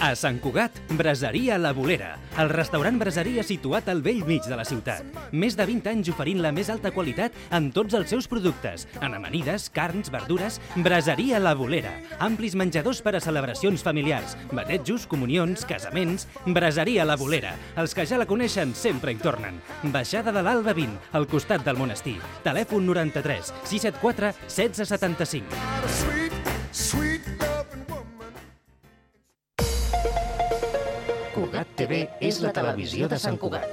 A Sant Cugat, Braseria La Bolera, el restaurant braseria situat al bell mig de la ciutat. Més de 20 anys oferint la més alta qualitat en tots els seus productes. En amanides, carns, verdures, Braseria La Bolera. Amplis menjadors per a celebracions familiars, batejos, comunions, casaments. Braseria La Bolera. Els que ja la coneixen sempre hi tornen. Baixada de l'Alba 20, al costat del monestir. Telèfon 93 674 1675. Cugat TV és la televisió de Sant Cugat.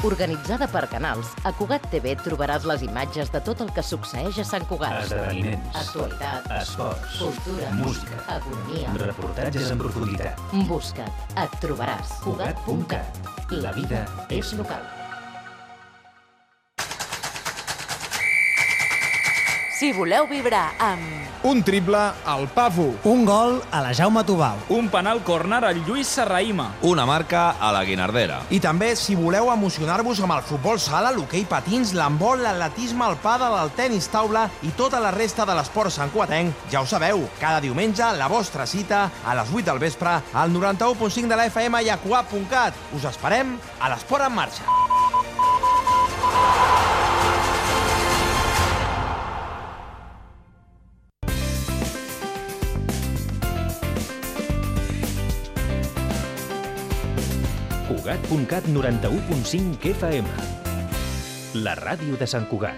Organitzada per canals, a Cugat TV trobaràs les imatges de tot el que succeeix a Sant Cugat. Esdeveniments, actualitat, esports, cultura, música, economia. reportatges en profunditat. Busca't, et trobaràs. Cugat.cat. La vida és local. Si voleu vibrar amb... Un triple al Pavu. Un gol a la Jaume Tubau. Un penal córner al Lluís Serraïma. Una marca a la Guinardera. I també, si voleu emocionar-vos amb el futbol sala, l'hoquei patins, l'handbol, l'atletisme, el pàdel, el tenis taula i tota la resta de l'esport santcugatenc, ja ho sabeu, cada diumenge la vostra cita a les 8 del vespre al 91.5 de la FM i a Cugat.cat. Us esperem a l'Esport en Marxa. Cugat.cat 91.5 FM. La ràdio de Sant Cugat.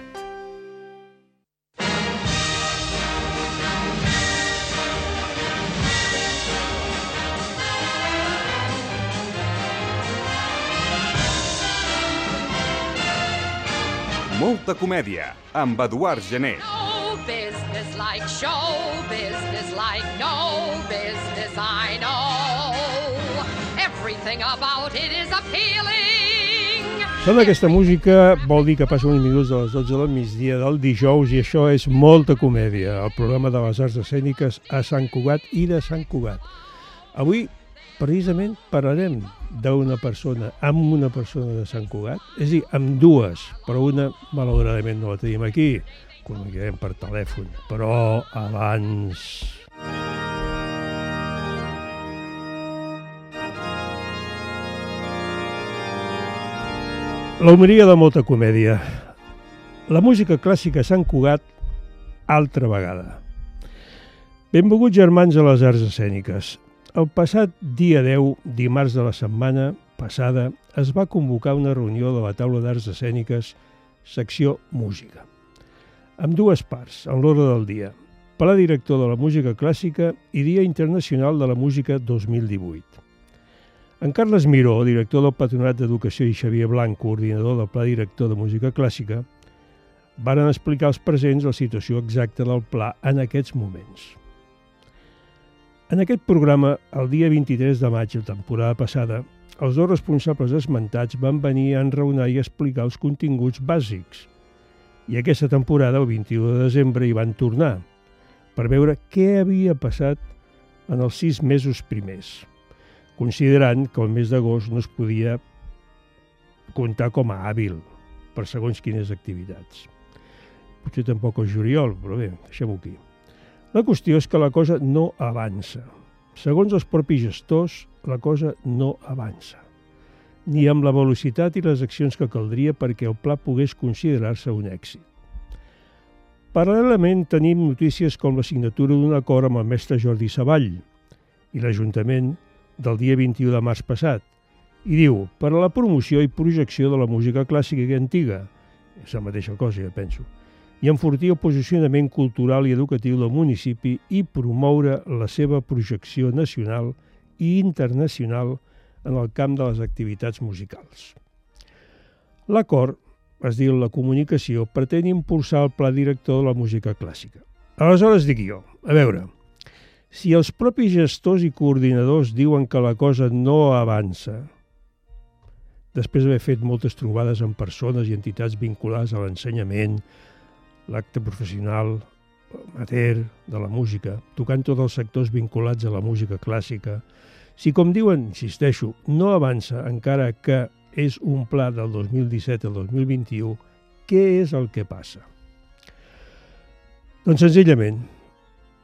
Molta comèdia, amb Eduard Gené. No business like show business like no business I know. Everything about it is appealing. Sona aquesta música vol dir que passa uns minuts de les 12 del migdia del dijous i això és Molta comèdia, el programa de les arts escèniques a Sant Cugat i de Sant Cugat. Avui, precisament, parlarem d'una persona, amb una persona de Sant Cugat, és a dir, amb dues, però una, malauradament, no la tenim aquí, comunicarem per telèfon, però abans... L'humoria de Molta comèdia. La música clàssica a Sant Cugat, altra vegada. Benvinguts germans a les arts escèniques. El passat dia 10, dimarts de la setmana passada, es va convocar una reunió de la taula d'arts escèniques, secció música, amb dues parts, en l'ordre del dia. Pla director de la música clàssica i Dia Internacional de la Música 2018. En Carles Miró, director del Patronat d'Educació, i Xavier Blanc, coordinador del Pla Director de Música Clàssica, varen explicar als presents la situació exacta del pla en aquests moments. En aquest programa, el dia 23 de maig, la temporada passada, els dos responsables esmentats van venir a enraonar i explicar els continguts bàsics. I aquesta temporada, el 21 de desembre, hi van tornar, per veure què havia passat en els 6 mesos primers, considerant que el mes d'agost no es podia comptar com a hàbil per segons quines activitats. Potser tampoc el juliol, però bé, deixem-ho aquí. La qüestió és que la cosa no avança. Segons els propis gestors, la cosa no avança. Ni amb la velocitat i les accions que caldria perquè el pla pogués considerar-se un èxit. Paral·lelament tenim notícies com la signatura d'un acord amb el mestre Jordi Savall i l'Ajuntament del dia 21 de març passat, i diu, per a la promoció i projecció de la música clàssica i antiga, és la mateixa cosa, ja penso, i enfortir el posicionament cultural i educatiu del municipi i promoure la seva projecció nacional i internacional en el camp de les activitats musicals. L'acord, es diu la comunicació, pretén impulsar el pla director de la música clàssica. Aleshores dic jo, a veure, si els propis gestors i coordinadors diuen que la cosa no avança, després d'haver fet moltes trobades amb persones i entitats vinculades a l'ensenyament, l'acte professional, amateur, de la música, tocant tots els sectors vinculats a la música clàssica, si, com diuen, insisteixo, no avança encara que és un pla del 2017 al 2021, què és el que passa? Doncs senzillament,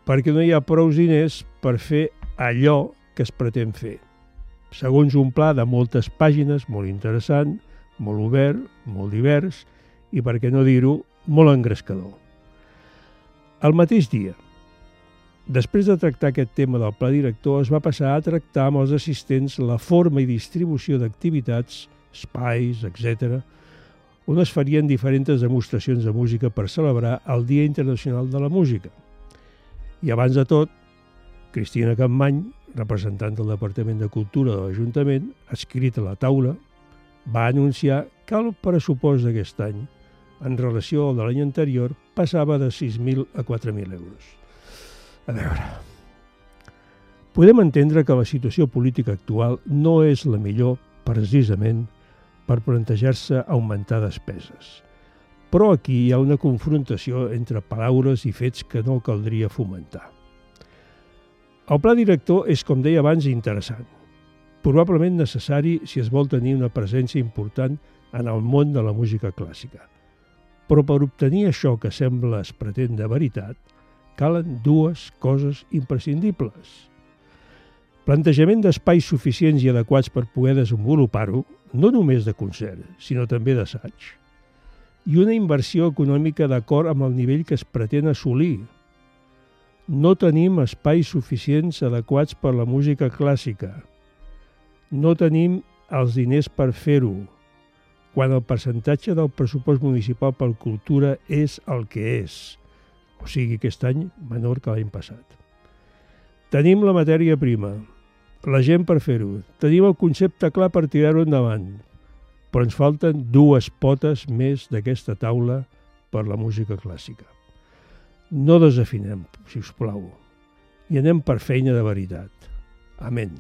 perquè no hi ha prous diners per fer allò que es pretén fer. Segons un pla de moltes pàgines, molt interessant, molt obert, molt divers i, per què no dir-ho, molt engrescador. El mateix dia, després de tractar aquest tema del pla director, es va passar a tractar amb els assistents la forma i distribució d'activitats, espais, etc., on es farien diferents demostracions de música per celebrar el Dia Internacional de la Música. I abans de tot, Cristina Campmany, representant del Departament de Cultura de l'Ajuntament, adscrit a la taula, va anunciar que el pressupost d'aquest any, en relació al de l'any anterior, passava de 6.000 a 4.000 euros. A veure, podem entendre que la situació política actual no és la millor, precisament, per plantejar-se augmentar despeses. Però aquí hi ha una confrontació entre paraules i fets que no caldria fomentar. El pla director és, com deia abans, interessant. Probablement necessari si es vol tenir una presència important en el món de la música clàssica. Però per obtenir això que sembla es pretén de veritat, calen dues coses imprescindibles. Plantejament d'espais suficients i adequats per poder desenvolupar-ho, no només de concert, sinó també d'assaig. I una inversió econòmica d'acord amb el nivell que es pretén assolir. No tenim espais suficients adequats per la música clàssica. No tenim els diners per fer-ho, quan el percentatge del pressupost municipal per cultura és el que és, o sigui, aquest any menor que l'any passat. Tenim la matèria prima, la gent per fer-ho, tenim el concepte clar per tirar-ho endavant, però ens falten dues potes més d'aquesta taula per la música clàssica. No desafinem, si us plau, i anem per feina de veritat. Amén.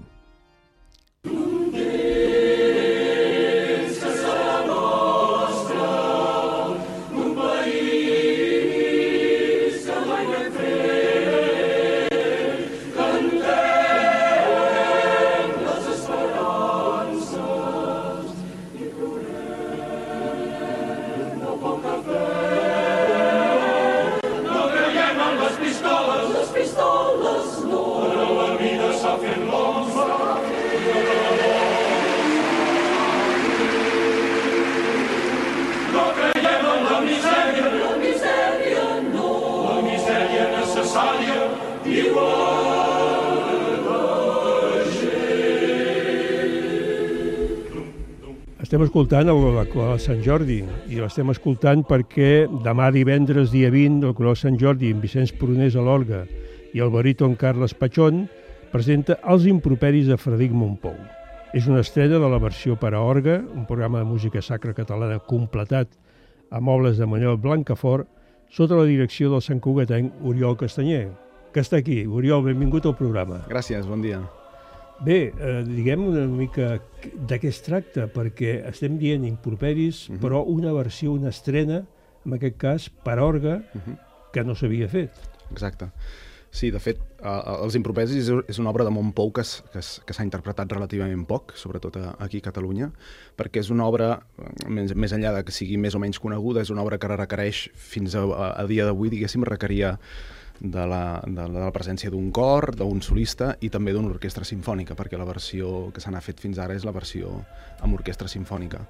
Estem escoltant la Coral Sant Jordi i l'estem escoltant perquè demà divendres, dia 20, el Coral Sant Jordi amb Vicenç Prunés a l'orgue i el baríton Carles Pachón presenta Els improperis de Frederic Mompou. És una estrena de la versió per a orgue, un programa de música sacra catalana completat amb obres de Manuel Blancafort sota la direcció del santcugatenc Oriol Castanyer, que està aquí. Oriol, benvingut al programa. Gràcies, bon dia. Bé, diguem una mica de què es tracta, perquè estem dient improperis, però una versió, una estrena, en aquest cas, per orgue, que no s'havia fet. Exacte. Sí, de fet, Els improperis és una obra de Mompou que s'ha interpretat relativament poc, sobretot aquí a Catalunya, perquè és una obra, més enllà de que sigui més o menys coneguda, és una obra que requereix, fins a dia d'avui, diguéssim, requeria de la presència d'un cor, d'un solista i també d'una orquestra simfònica, perquè la versió que se n'ha fet fins ara és la versió amb orquestra simfònica.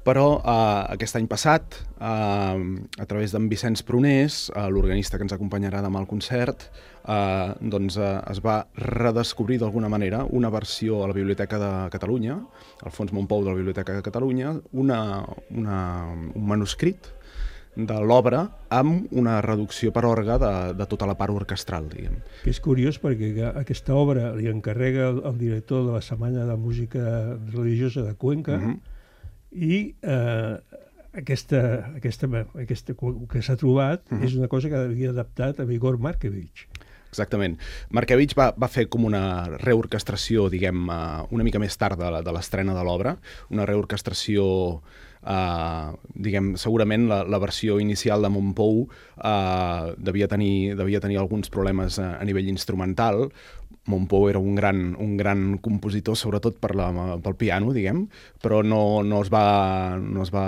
Però aquest any passat, a través d'en Vicenç Prunés, l'organista que ens acompanyarà demà al concert, doncs es va redescobrir d'alguna manera una versió a la Biblioteca de Catalunya, al Fons Mompou de la Biblioteca de Catalunya, un manuscrit de l'obra amb una reducció per orgue de tota la part orquestral, diguem. Que és curiós perquè aquesta obra li encarrega el director de la Setmana de Música Religiosa de Cuenca i aquesta que s'ha trobat és una cosa que havia adaptat a Igor Markevich. Exactament. Markevich va fer com una reorquestració, diguem, una mica més tard de l'estrena de l'obra, una reorquestració, diguem, segurament la versió inicial de Mompou devia tenir alguns problemes a nivell instrumental, Montpou era un gran compositor, sobretot pel piano, diguem, però no es va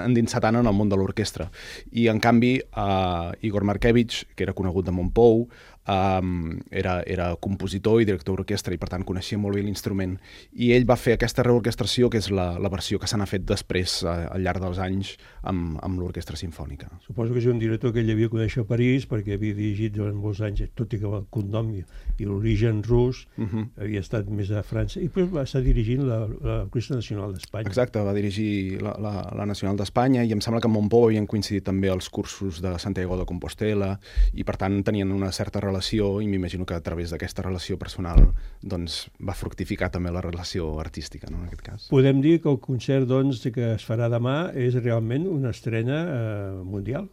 endinsar tant en el món de l'orquestra. I, en canvi, Igor Markevich, que era conegut de Montpou, era compositor i director d'orquestra i per tant coneixia molt bé l'instrument, i ell va fer aquesta reorquestració que és la versió que se n'ha fet després al llarg dels anys amb l'orquestra simfònica. Suposo que és un director que ell havia conèixer a París perquè havia dirigit durant molts anys, tot i que el cognom i l'origen rus havia estat més a França i després va estar dirigint l'Orquestra Nacional d'Espanya. Exacte, va dirigir la Nacional d'Espanya i em sembla que amb Montpou havien coincidit també els cursos de Santiago de Compostela i per tant tenien una certa relació i m'imagino que a través d'aquesta relació personal doncs, va fructificar també la relació artística, no, en aquest cas. Podem dir que el concert doncs, que es farà demà és realment una estrena mundial?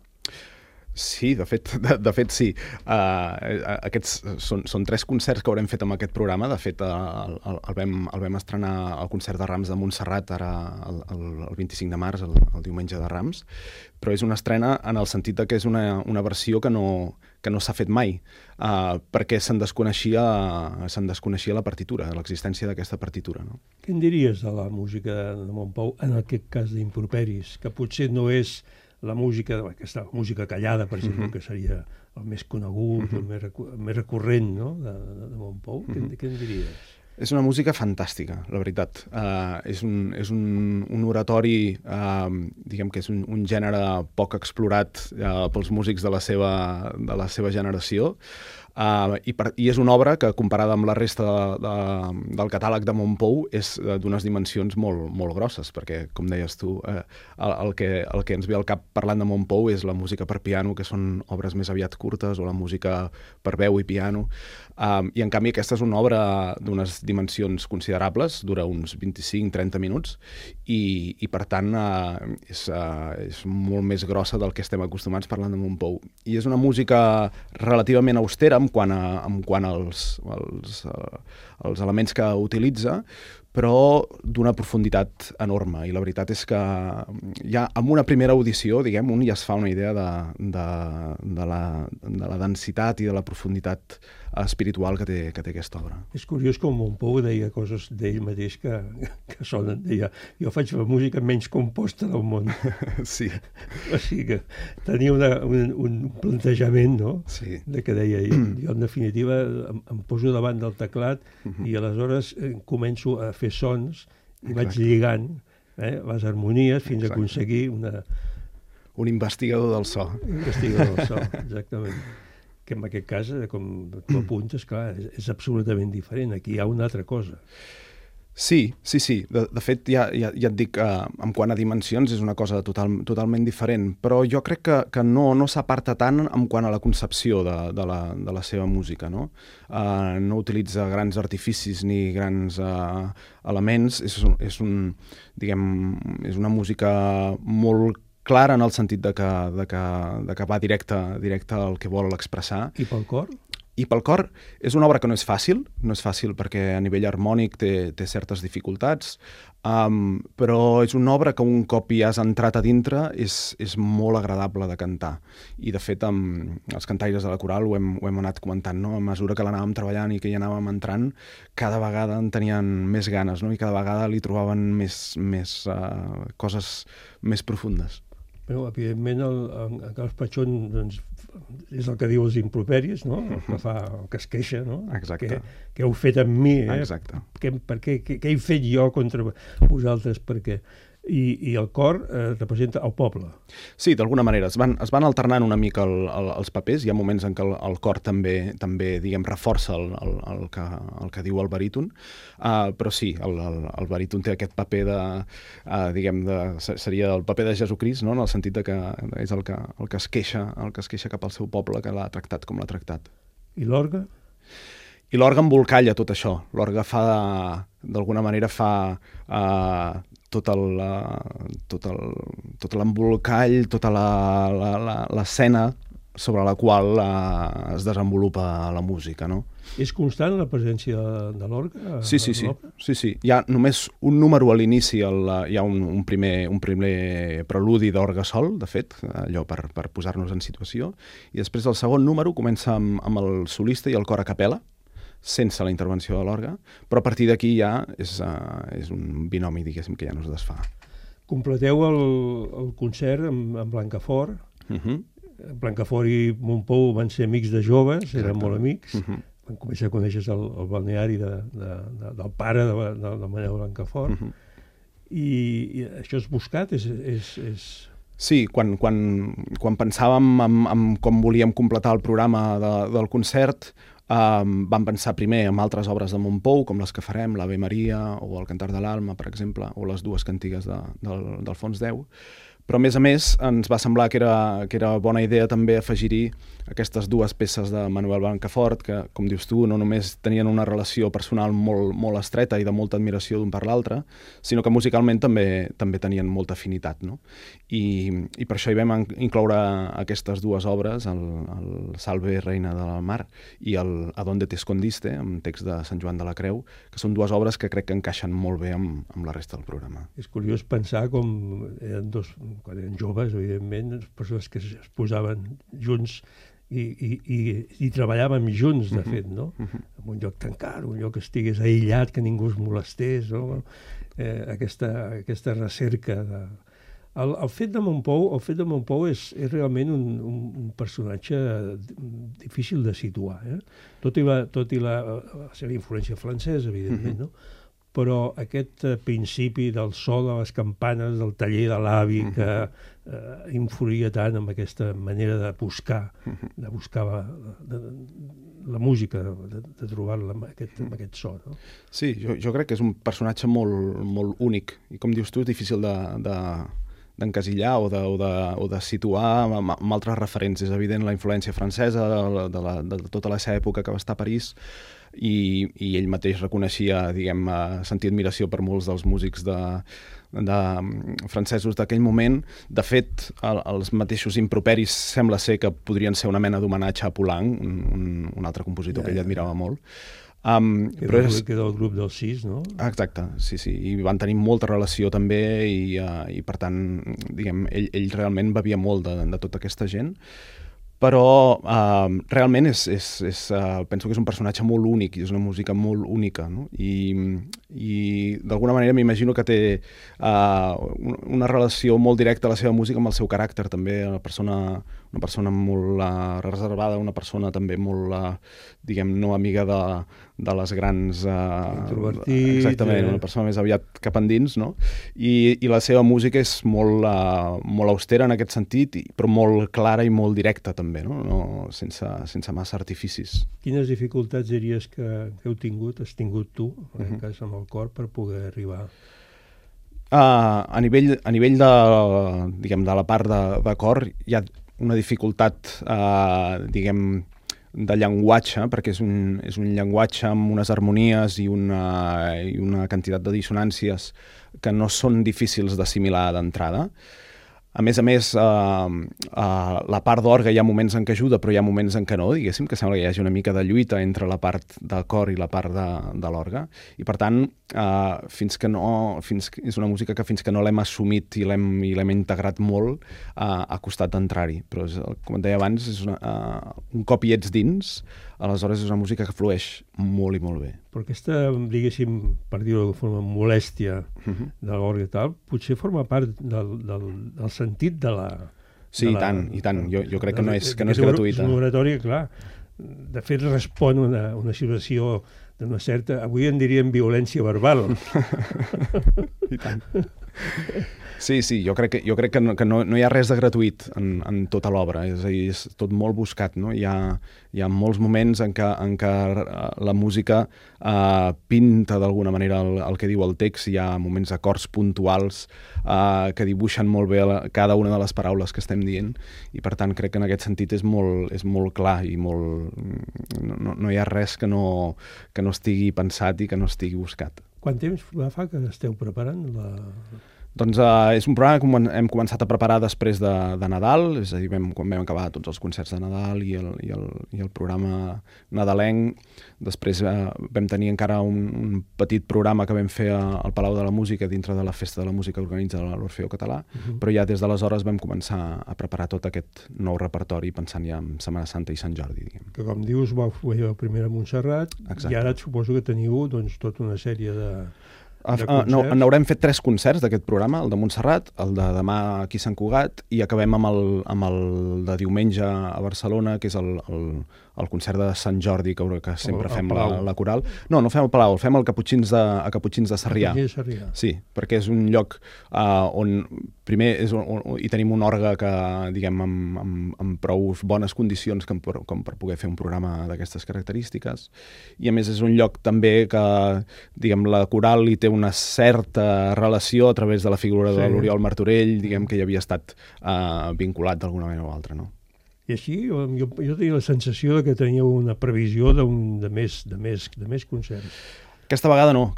Sí, de fet sí. Aquests són 3 concerts que haurem fet amb aquest programa. De fet, el vam estrenar al concert de Rams de Montserrat ara el 25 de març, el diumenge de Rams, però és una estrena en el sentit que és una versió que no s'ha fet mai, perquè se'n desconeixia la partitura, l'existència d'aquesta partitura. No? Què en diries de la música de Montpou, en aquest cas d'Improperis, que potser no és la música, aquesta música callada, per exemple, que seria el més conegut, el més recurrent, no? de Montpou? Què en diries? És una música fantàstica, la veritat. És un oratori, diguem que és un gènere poc explorat pels músics de la seva generació, i és una obra que, comparada amb la resta del catàleg de Montpou, és d'unes dimensions molt grosses, perquè, com deies tu, el que ens ve al cap parlant de Montpou és la música per piano, que són obres més aviat curtes, o la música per veu i piano, i en canvi aquesta és una obra d'unes dimensions considerables, dura uns 25-30 minuts, i per tant és molt més grossa del que estem acostumats parlant de Montpou. I és una música relativament austera en quant als elements que utilitza, però d'una profunditat enorme. I la veritat és que ja amb una primera audició, diguem, un ja es fa una idea de la densitat i de la profunditat espiritual que té aquesta obra. És curiós com Montpou deia coses d'ell mateix que sonen. Deia, jo faig la música menys composta del món. Sí. O sigui que tenia un plantejament, no? Sí. De que deia, jo en definitiva em poso davant del teclat i aleshores començo a fer sons i vaig lligant les harmonies fins a aconseguir un investigador del so. Un investigador del so, exactament. Que en aquest cas, com tu apuntes, clar, és absolutament diferent. Aquí hi ha una altra cosa. Sí. De fet, ja et dic, en quant a dimensions és una cosa totalment diferent, però jo crec que no s'aparta tant en quant a la concepció de la seva música, no? No utilitza grans artificis ni grans elements, és una música molt clara en el sentit de que va directe al que vol expressar. I pel cor? I pel cor és una obra que no és fàcil perquè a nivell harmònic té certes dificultats, però és una obra que un cop hi has entrat a dintre és molt agradable de cantar. I de fet, els cantaires de la coral ho hem anat comentant, no? A mesura que l'anàvem treballant i que hi anàvem entrant, cada vegada en tenien més ganes, no? I cada vegada li trobaven més coses més profundes. Però, evidentment, el Carles Pachón doncs, és el que diu els improperis, no? El que es queixa, no? Exacte. Què heu fet amb mi? Exacte. Què he fet jo contra vosaltres? Per què? I el cor representa el poble. Sí, d'alguna manera. Es van alternant una mica els papers. Hi ha moments en què el cor també diguem, reforça el que diu el baríton, però sí, el baríton té aquest paper seria el paper de Jesucrist, no? En el sentit que és el que es queixa cap al seu poble, que l'ha tractat com l'ha tractat. I l'orgue? I l'orgue embolcalla tot això. L'orgue d'alguna manera fa tot l'embolcall, tota l'escena sobre la qual es desenvolupa la música, no? És constant la presència de l'orgue? Sí. Hi ha només un número a l'inici, hi ha un primer preludi d'orgue sol, de fet, allò per posar-nos en situació, i després el segon número comença amb el solista i el cor a capella, sense la intervenció de l'orgue, però a partir d'aquí ja és un binomi, diguéssim, que ja no es desfà. Completeu el concert amb Blancafort. Blancafort i Montpou van ser amics de joves, eren molt amics. Van començar a conèixer el balneari del pare de Manel Blancafort. I això és buscat? Sí, quan pensàvem en com volíem completar el programa del concert, vam pensar primer en altres obres de Montpou, com les que farem, l'Ave Maria o el Cantar de l'Alma, per exemple, o les dues cantigues d'Alfons X. Però, a més, ens va semblar que era bona idea també afegir-hi aquestes dues peces de Manuel Blancafort, que, com dius tu, no només tenien una relació personal molt estreta i de molta admiració d'un per l'altre, sinó que musicalment també tenien molta afinitat, no? I per això hi vam incloure aquestes dues obres, el Salve, Reina de la Mar, i el A donde te escondiste, amb text de Sant Joan de la Creu, que són dues obres que crec que encaixen molt bé amb la resta del programa. És curiós pensar com quan eren joves, evidentment, les persones que es posaven junts i treballàvem junts, de fet, no? En un lloc tancat, un lloc que estigués aïllat, que ningú es molestés, no? Aquesta recerca de... El fet de Montpou és realment un personatge difícil de situar, tot i la seva influència francesa, evidentment, no? Però aquest principi del so de les campanes, del taller de l'avi, que influïa tant amb aquesta manera de buscar la música, de trobar-la amb aquest so. No? Sí, jo crec que és un personatge molt únic, i com dius tu, és difícil d'encasillar o de situar amb altres referents. És evident la influència francesa de tota la seva època que va estar a París, i ell mateix reconeixia, sentir admiració per molts dels músics francesos d'aquell moment. De fet, els mateixos improperis sembla ser que podrien ser una mena d'homenatge a Poulenc, un altre compositor que ell admirava molt. Que del grup dels 6, no? Exacte, sí, i van tenir molta relació també, i per tant, ell realment bevia molt de tota aquesta gent. Però realment penso que és un personatge molt únic i és una música molt única, no? I d'alguna manera m'imagino que té una relació molt directa a la seva música amb el seu caràcter també, una persona molt reservada, una persona també molt, no amiga de les grans... Introvertit. Exactament, una persona més aviat cap endins, no? I la seva música és molt austera en aquest sentit, però molt clara i molt directa també, no? Sense massa artificis. Quines dificultats diries que has tingut tu, en aquest cas amb el cor, per poder arribar? A nivell de la part de cor hi ha una dificultat, de llenguatge, perquè és un llenguatge amb unes harmonies i una quantitat de dissonàncies que no són difícils d'assimilar d'entrada. A més, la part d'orgue hi ha moments en què ajuda, però hi ha moments en què no, diguéssim, que sembla que hi hagi una mica de lluita entre la part del cor i la part de l'orgue. I per tant, és una música que fins que no l'hem assumit i l'hem integrat molt, ha costat d'entrar-hi. Però, com et deia abans, un cop hi ets dins, aleshores és una música que flueix molt i molt bé. Però aquesta, diguéssim, per dir-ho de forma molèstia de l'orgue i tal, potser forma part del sentit de la... Sí, i tant. Jo crec que no és gratuïta. És una oratòria, clar. De fet, respon a una situació d'una certa... Avui en diríem violència verbal. I tant. Sí, jo crec que no hi ha res de gratuït en tota l'obra, és a dir, és tot molt buscat, no? Hi ha molts moments en què la música pinta d'alguna manera el que diu el text, hi ha moments acords puntuals que dibuixen molt bé cada una de les paraules que estem dient, i per tant crec que en aquest sentit és molt clar i no hi ha res que no estigui pensat i que no estigui buscat. Quant temps fa que esteu preparant Doncs és un programa que hem començat a preparar després de Nadal, és a dir, quan vam acabar tots els concerts de Nadal i el programa nadalenc. Després vam tenir encara un petit programa que vam fer al Palau de la Música dintre de la Festa de la Música que organitza l'Orfeó Català, però ja des d'aleshores vam començar a preparar tot aquest nou repertori pensant ja en Setmana Santa i Sant Jordi, diguem. Que com dius, vau fer el primer a Montserrat. Exacte. I ara et suposo que teniu doncs, tota una sèrie de n'haurem fet 3 concerts d'aquest programa, el de Montserrat, el de demà aquí a Sant Cugat i acabem amb el de diumenge a Barcelona, que és el concert de Sant Jordi, que sempre fem la coral. No fem al Palau, el fem a Caputxins de Sarrià. Sí, perquè és un lloc on primer hi tenim un orgue que, diguem, amb prou bones condicions com per poder fer un programa d'aquestes característiques, i a més és un lloc també que, diguem, la coral hi té una certa relació a través de la figura de l'Oriol Martorell, diguem, que hi havia estat vinculat d'alguna manera o altra, no? I així jo tenia la sensació que teníeu una previsió de més concerts. Aquesta vegada no.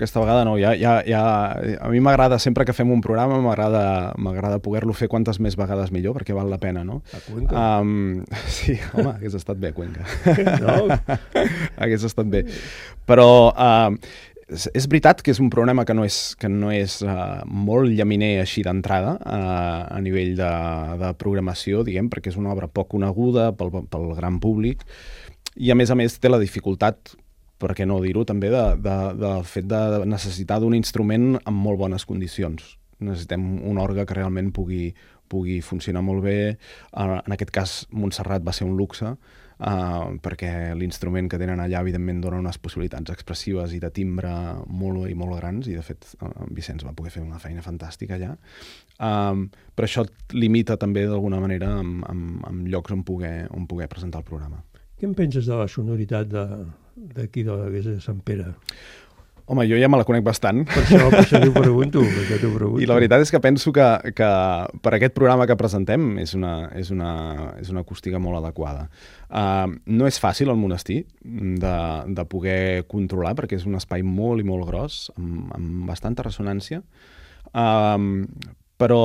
A mi m'agrada, sempre que fem un programa, m'agrada poder-lo fer quantes més vegades millor, perquè val la pena, no? A Cuenca? Sí, home, hagués estat bé, Cuenca. No? Hagués estat bé. Però és veritat que és un programa que no és molt llaminer així d'entrada a nivell de programació, diguem, perquè és una obra poc coneguda pel gran públic, i a més té la dificultat, per què no dir-ho, també del fet de necessitar d'un instrument amb molt bones condicions. Necessitem un orgue que realment pugui funcionar molt bé. En aquest cas, Montserrat va ser un luxe, perquè l'instrument que tenen allà, evidentment, dona unes possibilitats expressives i de timbre molt grans, i de fet en Vicenç va poder fer una feina fantàstica allà. Però això et limita també d'alguna manera en llocs on poder presentar el programa. Què en penses de la sonoritat d'aquí de l'església de Sant Pere? Home, jo ja me la conec bastant. Per això t'ho pregunto. I la veritat és que penso que per aquest programa que presentem és una acústica molt adequada. No és fàcil el monestir de poder controlar, perquè és un espai molt i molt gros, amb bastanta ressonància, però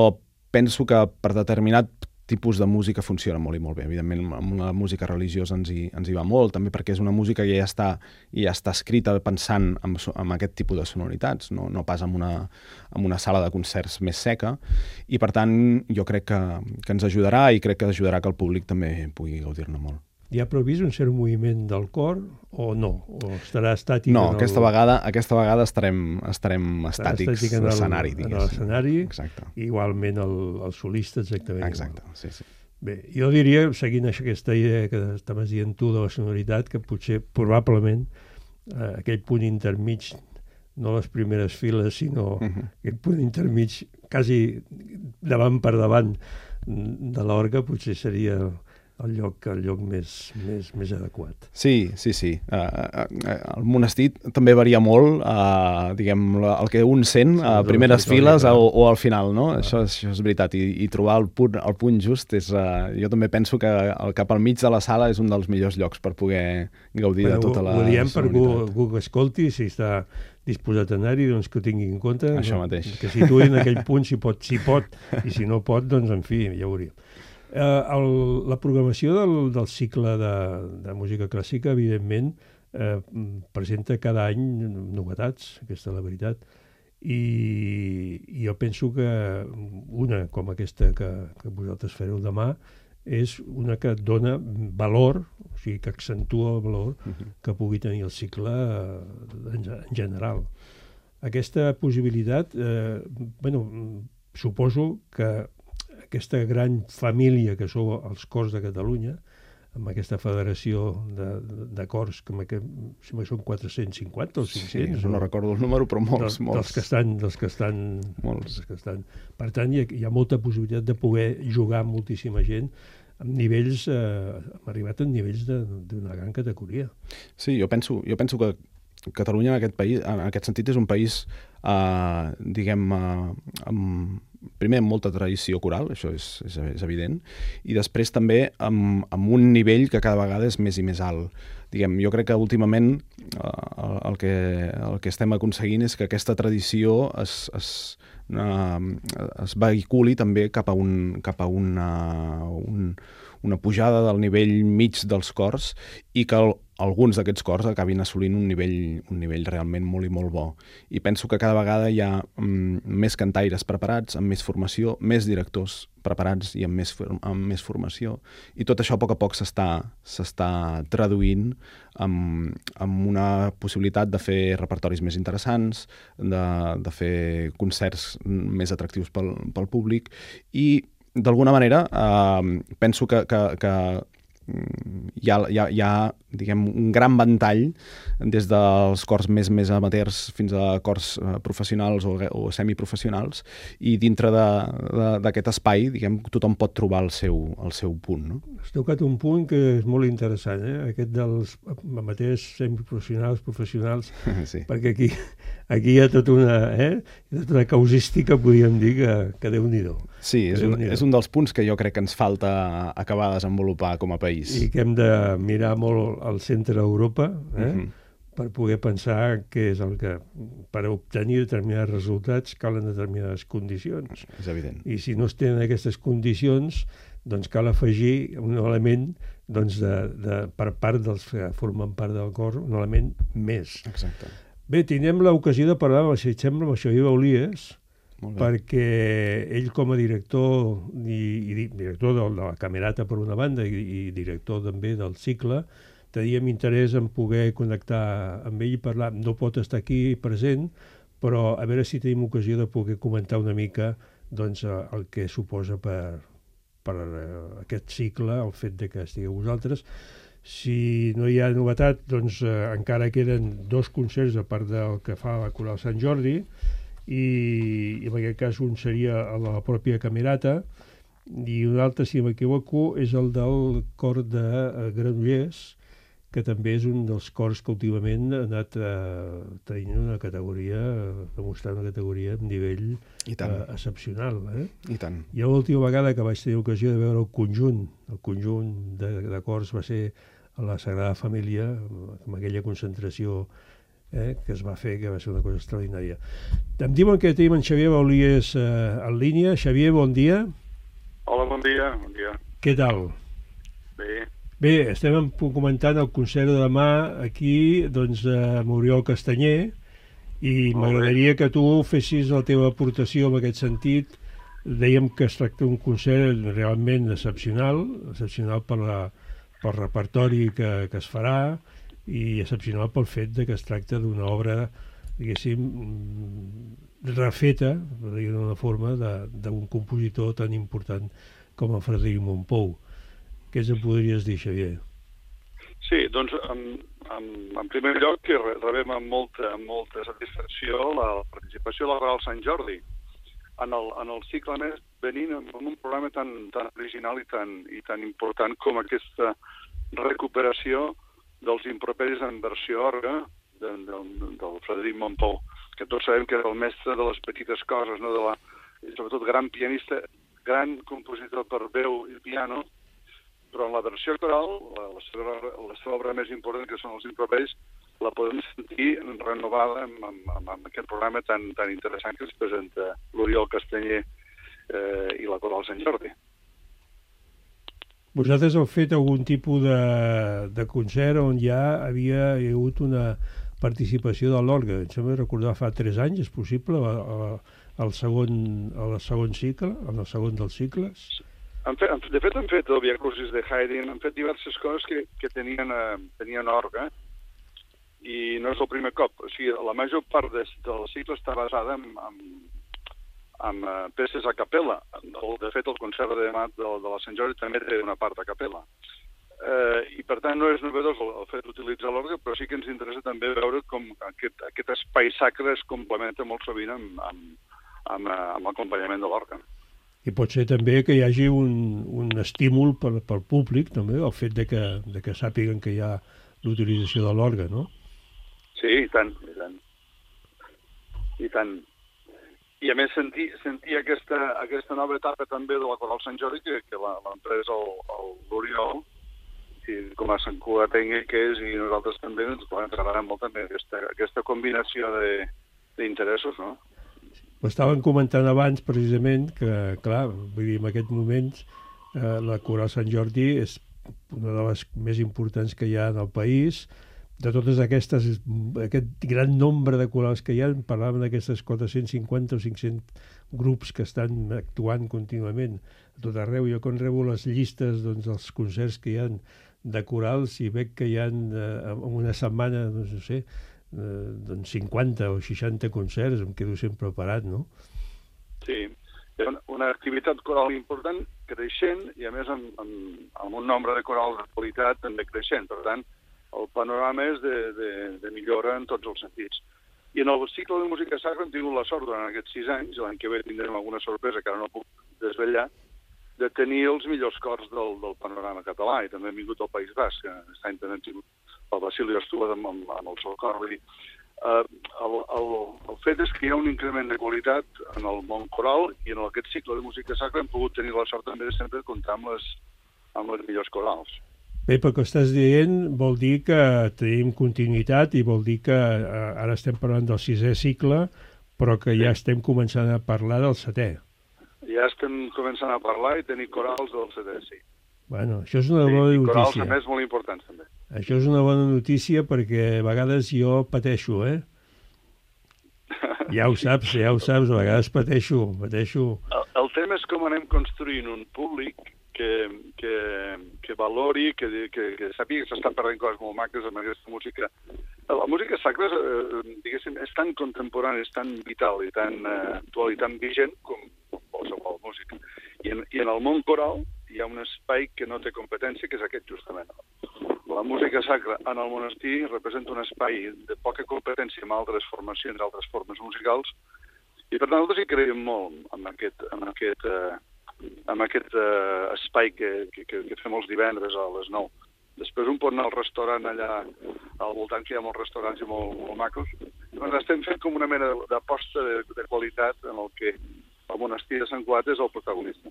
penso que per determinat tipus de música funciona molt i molt bé. Evidentment, amb la música religiosa ens hi va molt, també perquè és una música que ja està escrita pensant en aquest tipus de sonoritats, no pas en una sala de concerts més seca, i per tant jo crec que ens ajudarà, i crec que ajudarà que el públic també pugui gaudir-ne molt. Hi ha previst un cert moviment del cor o no? O estarà estàtic? No, aquesta vegada estarem estàtics a l'escenari, diguéssim. En l'escenari, igualment els solistes, exactament. Exacte, sí. Bé, jo diria, seguint aquesta idea que estaves dient tu de la sonoritat, que potser, probablement, aquell punt intermig, no les primeres files, sinó aquell punt intermig, quasi davant per davant de l'orgue, potser seria el lloc més adequat. Sí. El monestir també varia molt, diguem, el que un sent a primeres files o al final, no? Això és veritat, i trobar el punt just és... Jo també penso que cap al mig de la sala és un dels millors llocs per poder gaudir de tota la sonoritat. Ho diem per algú que escolti, si està disposat a anar-hi, doncs que ho tingui en compte. Això mateix. Que situï en aquell punt, si pot, i si no pot, doncs, en fi, ja ho hauríem. La programació del cicle de música clàssica, evidentment, presenta cada any novetats, aquesta és la veritat, i jo penso que una com aquesta que vosaltres fareu demà és una que dona valor, o sigui, que accentua el valor que pugui tenir el cicle en general. Aquesta possibilitat, suposo que aquesta gran família que sou els cors de Catalunya, amb aquesta federació de cors, que són 450 o 500. Sí, no recordo el número, però molts. Dels que estan. Per tant, hi ha molta possibilitat de poder jugar amb moltíssima gent amb nivells, hem arribat a nivells d'una gran categoria. Sí, jo penso que Catalunya en aquest sentit és un país primer amb molta tradició coral, això és evident, i després també amb un nivell que cada vegada és més i més alt. Jo crec que últimament el que estem aconseguint és que aquesta tradició es vehiculi també cap a una pujada del nivell mig dels cors i que alguns d'aquests cors acabin assolint un nivell realment molt i molt bo. I penso que cada vegada hi ha més cantaires preparats, amb més formació, més directors preparats i amb més formació. I tot això a poc s'està traduint amb una possibilitat de fer repertoris més interessants, de fer concerts més atractius pel públic i d'alguna manera, penso que hi ha diguem, un gran ventall des dels cors més amateurs fins a cors professionals o semiprofessionals i dintre d'aquest espai diguem, tothom pot trobar el seu punt. No? Has tocat un punt que és molt interessant, aquest dels amateurs, semiprofessionals, professionals, sí. Perquè aquí hi ha tota una causística, podríem dir, que Déu-n'hi-do. Sí, és un dels punts que jo crec que ens falta acabar de desenvolupar com a país. I que hem de mirar molt al centre d'Europa per poder pensar què és el que... Per obtenir determinats resultats calen determinades condicions. És evident. I si no es tenen aquestes condicions, doncs cal afegir un element per part dels que formen part del cor, un element més. Exacte. Bé, tindrem l'ocasió de parlar, si et sembla, amb el Xavier Baulies, perquè ell com a director director de la Camerata per una banda i director també del cicle, teníem interès en poder connectar amb ell i parlar. No pot estar aquí present, però a veure si tenim ocasió de poder comentar una mica el que suposa per aquest cicle, el fet de que estigueu vosaltres. Si no hi ha novetat, doncs encara queden 2 concerts a part del que fa la Coral Sant Jordi, i en aquest cas un seria a la pròpia Camerata i un altre, si m'equivoco, és el del cor de Granollers, que també és un dels cors que últimament ha anat tenint una categoria, demostrant una categoria amb nivell excepcional. I tant. Jo l'última vegada que vaig tenir ocasió de veure el conjunt de cors va ser a la Sagrada Família, amb aquella concentració que es va fer, que va ser una cosa extraordinària. Em diuen que tenim en Xavier Baulies en línia. Xavier, bon dia. Hola, bon dia. Què tal? Bé, estem comentant el concert de demà aquí, amb Oriol Castanyer, i m'agradaria que tu fessis la teva aportació en aquest sentit. Dèiem que es tracta d'un concert realment excepcional pel repertori que es farà, i excepcional pel fet que es tracta d'una obra, diguéssim, refeta, per dir-ho d'una forma, d'un compositor tan important com el Frederic Mompou. Què ens en podries dir, Xavier? Sí, doncs, en primer lloc, que rebem amb molta satisfacció la participació de la Coral Sant Jordi en el cicle més, venint amb un programa tan original i tan important com aquesta recuperació dels improperis en versió orga del Frederic Mompou, que tots sabem que era el mestre de les petites coses, no? Sobretot gran pianista, gran compositor per veu i piano, però en la versió coral, la seva obra més important, que són els improperis, la podem sentir renovada amb aquest programa tan interessant que ens presenta l'Oriol Castanyer i la Coral Sant Jordi. Vosaltres heu fet algun tipus de concert on ja havia hagut una participació de l'orgue. Em sembla recordar fa 3 anys, és possible, al segon cicle, en el segon dels cicles? De fet, hem fet el Via Crucis de Haydn, hem fet diverses coses que tenien orgue, i no és el primer cop. O sigui, la major part del cicle està basada amb peces a capella. De fet, el concert de demà de la Sant Jordi també té una part a capella. I, per tant, no és novedós el fet d'utilitzar l'orgue, però sí que ens interessa també veure com aquest espai sacre es complementa molt sovint amb l'acompanyament de l'orgue. I pot ser també que hi hagi un estímul pel públic, també, el fet de que sàpiguen que hi ha l'utilització de l'orgue, no? Sí, i tant. I tant. I a més sentir aquesta nova etapa també de la Coral Sant Jordi que l'empresa l'Oriol, i com a Sant Cugatenc que és, i nosaltres també ens treballarem molt també aquesta combinació d'interessos, no? Ho estàvem comentant abans precisament que, clar, vull dir, en aquests moments la Coral Sant Jordi és una de les més importants que hi ha en el país. De totes aquest gran nombre de corals que hi ha, parlàvem d'aquestes 450 o 500 grups que estan actuant contínuament a tot arreu. Jo quan rebo les llistes dels concerts que hi ha de corals i veig que hi ha en una setmana, no sé, 50 o 60 concerts, em quedo sempre parat, no? Sí, és una activitat coral important, creixent, i a més amb un nombre de corals de qualitat també creixent. Per tant, el panorama és de millora en tots els sentits. I en el cicle de música sacra hem tingut la sort durant aquests 6 anys, l'any que ve tindrem alguna sorpresa que ara no puc desvetllar, de tenir els millors cors del panorama català, i també hem vingut al País Basc, que aquest any també hem tingut el Basilio Estúa amb el seu cor. Vull dir, el fet és que hi ha un increment de qualitat en el món coral, i en aquest cicle de música sacra hem pogut tenir la sort també de sempre comptar amb les millors corals. Bé, pel que estàs dient vol dir que tenim continuïtat i vol dir que ara estem parlant del 6è cicle, però que ja estem començant a parlar del 7è. Ja estem començant a parlar i tenir corals del 7è, sí. Bueno, això és una bona notícia. I corals, a més, molt importants, també. Això és una bona notícia perquè a vegades jo pateixo, Ja ho saps, a vegades pateixo. El tema és com anem construint un públic que valori, que sàpiga que s'estan perdent coses molt maques amb aquesta música. La música sacra, diguéssim, és tan contemporània, és tan vital i tan actual i tan vigent com qualsevol música. I en el món coral hi ha un espai que no té competència, que és aquest, justament. La música sacra en el monestir representa un espai de poca competència amb altres formacions, altres formes musicals, i per tant nosaltres hi creiem molt en aquest espai que fem els divendres a les 9. Després un pot anar al restaurant allà al voltant, que hi ha molts restaurants i molt macos. Doncs estem fent com una mena d'aposta de qualitat en el que el monestir de Sant Cugat és el protagonista.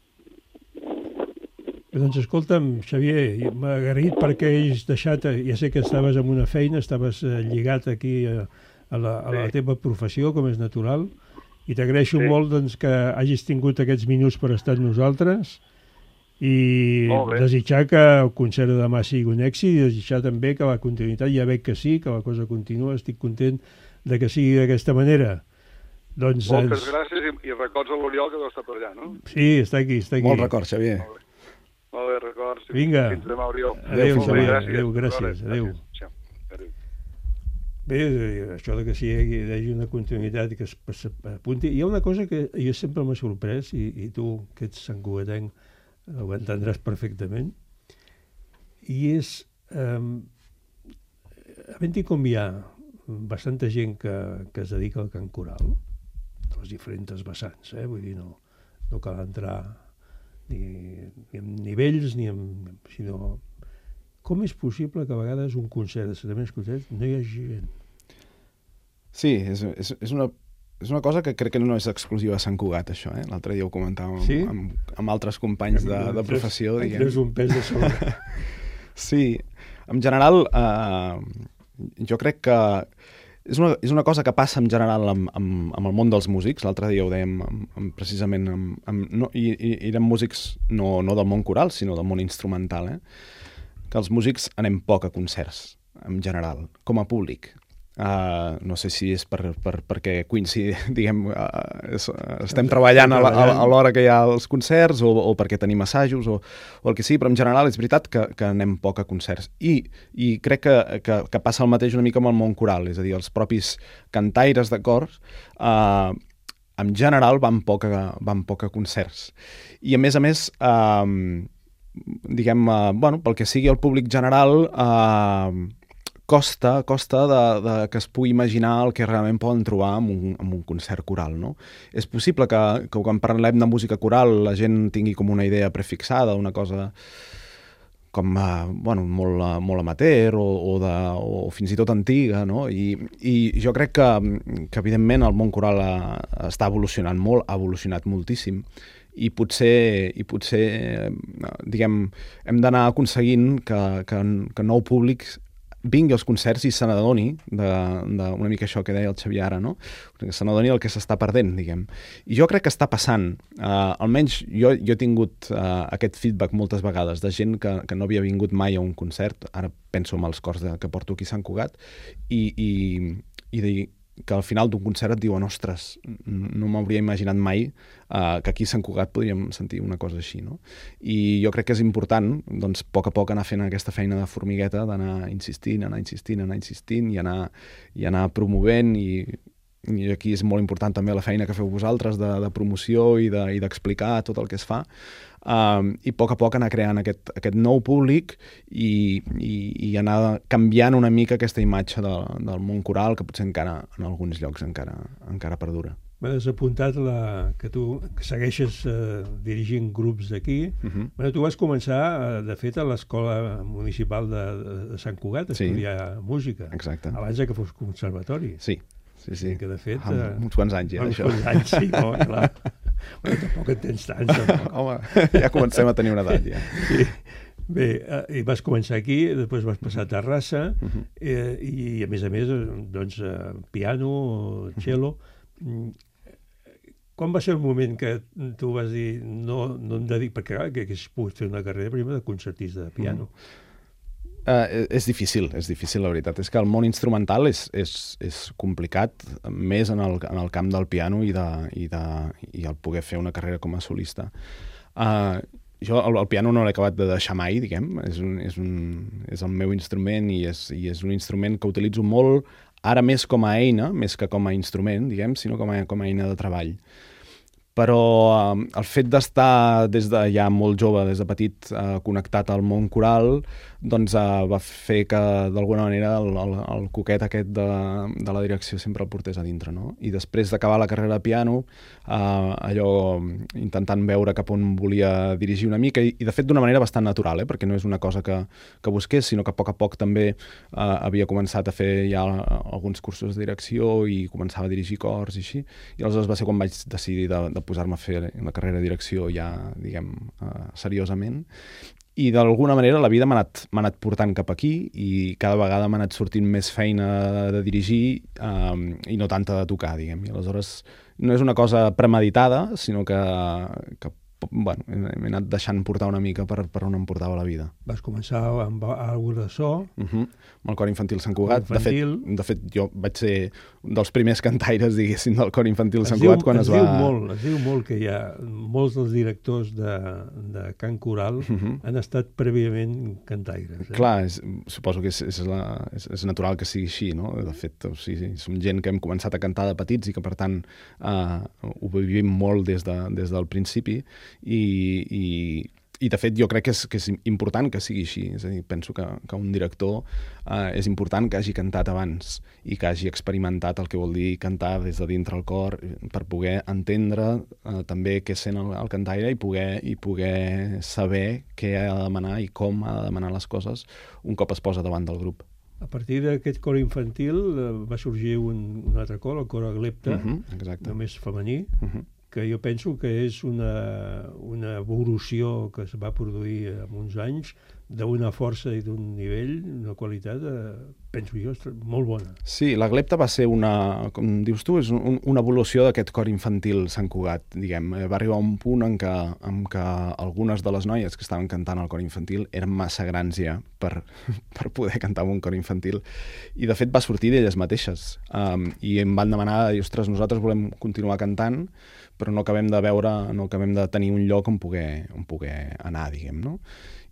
Doncs escolta'm, Xavier, m'ha agraït perquè has deixat, ja sé que estaves en una feina, estaves lligat aquí a la teva professió, com és natural, i t'agraeixo molt que hagis tingut aquests minuts per estar amb nosaltres i desitjar que el concert de demà sigui un èxit i desitjar també que la continuïtat, ja veig que sí, que la cosa continua, estic content de que sigui d'aquesta manera. Moltes gràcies i records a l'Oriol que deu estar per allà, no? Sí, està aquí. Molt records, Xavier. Molt bé, records. Vinga. Fins demà, Oriol. Adéu, Xavier. Adéu, gràcies. Adéu. Bé, això que hi hagi una continuïtat que s'apunti. Hi ha una cosa que jo sempre m'ha sorprès, i tu, que ets santcugatenc, ho entendràs perfectament, i és havent-hi com hi ha bastanta gent que es dedica al cant coral, de les diferents vessants, vull dir, no cal entrar ni en nivells, sinó com és possible que a vegades un concert de setmanes concerts no hi hagi gent? Sí, és una cosa que crec que no és exclusiva a Sant Cugat, això. L'altre dia ho comentàvem amb altres companys de professió. És un pes de sobre. Sí, en general, jo crec que és una cosa que passa en general amb el món dels músics. L'altre dia ho dèiem precisament, i eren músics no del món coral, sinó del món instrumental, que els músics anem poc a concerts, en general, com a públic. No sé si és perquè diguem, estem treballant a l'hora que hi ha els concerts o perquè tenim assajos o el que sigui, però en general és veritat que anem poc a concerts. I crec que passa el mateix una mica amb el món coral, és a dir, els propis cantaires de cors en general van poc a concerts. I a més, diguem, pel que sigui el públic general, costa que es pugui imaginar el que realment poden trobar en un concert coral, no? És possible que quan parlem de música coral la gent tingui com una idea prefixada, una cosa molt amateur o fins i tot antiga, no? I jo crec que evidentment el món coral està evolucionant molt, ha evolucionat moltíssim, i potser diguem, hem d'anar aconseguint que nou públic vingui als concerts i se n'adoni una mica això que deia el Xavier ara, no? Que se n'adoni el que s'està perdent, diguem. I jo crec que està passant. Almenys jo he tingut aquest feedback moltes vegades de gent que no havia vingut mai a un concert, ara penso en els cors que porto aquí a Sant Cugat, i que al final d'un concert et diuen ostres, no m'hauria imaginat mai que aquí a Sant Cugat podríem sentir una cosa així, no? I jo crec que és important, doncs, a poc anar fent aquesta feina de formigueta, d'anar insistint i anar promovent, i aquí és molt important també la feina que feu vosaltres de promoció i d'explicar tot el que es fa, i a poc anar creant aquest nou públic i anar canviant una mica aquesta imatge del món coral que potser encara en alguns llocs encara perdura. M'has apuntat que tu segueixes dirigint grups d'aquí. Tu vas començar, de fet, a l'Escola Municipal de Sant Cugat a estudiar música. Exacte. Abans que fos conservatori. Sí. Que de fet... Uns quants anys ja, això. Uns quants anys, sí, no, clar. Tampoc en tens tants. Home, ja comencem a tenir una edat, ja. Sí. Bé, i vas començar aquí, després vas passar a Terrassa, i a més, doncs, piano, cello. Quan va ser el moment que tu vas dir no em dedico, perquè clar, que haguessis pogut fer una carrera primer de concertista de piano? És difícil, la veritat. És que el món instrumental és complicat, més en el camp del piano i el poder fer una carrera com a solista. Jo el piano no l'he acabat de deixar mai, diguem. És el meu instrument i és un instrument que utilitzo molt, ara més com a eina, més que com a instrument, diguem, sinó com a eina de treball. Però el fet d'estar des de ja molt jove, des de petit, connectat al món coral, doncs va fer que d'alguna manera el coquet aquest de la direcció sempre el portés a dintre, no? I després d'acabar la carrera de piano, allò intentant veure cap on volia dirigir una mica, i de fet d'una manera bastant natural, perquè no és una cosa que busqués, sinó que a poc també havia començat a fer ja alguns cursos de direcció i començava a dirigir cors i així, i aleshores va ser quan vaig decidir de posar-me a fer la carrera de direcció ja, diguem, seriosament. I d'alguna manera la vida m'ha anat portant cap aquí i cada vegada m'ha anat sortint més feina de dirigir i no tanta de tocar, diguem. I aleshores no és una cosa premeditada, sinó que m'he anat deixant portar una mica per on em portava la vida. Vas començar amb alguna de so. Amb el Cor Infantil Sant Cugat. De fet, jo vaig ser dels primers cantaires, diguéssim, del Cor Infantil Sant Cugat quan es va... Es diu molt que hi ha molts dels directors de cant coral han estat prèviament cantaires. Clar, suposo que és natural que sigui així, no? De fet, som gent que hem començat a cantar de petits i que, per tant, ho vivim molt des del principi. I de fet jo crec que és important que sigui així, és a dir, penso que un director és important que hagi cantat abans i que hagi experimentat el que vol dir cantar des de dintre el cor per poder entendre també què sent el cantaire i poder saber què ha de demanar i com ha de demanar les coses un cop es posa davant del grup. A partir d'aquest cor infantil va sorgir un altre cor, el cor Aglepta, només femení, que jo penso que és una evolució que es va produir en uns anys d'una força i d'un nivell, una qualitat, penso jo, molt bona. Sí, l'Aglepta va ser com dius tu, és una evolució d'aquest cor infantil Sant Cugat, diguem. Va arribar un punt en què algunes de les noies que estaven cantant al cor infantil eren massa grans ja per poder cantar en un cor infantil. I de fet va sortir d'elles mateixes. I em van demanar, ostres, nosaltres volem continuar cantant, però no acabem de tenir un lloc on poder anar, diguem, no?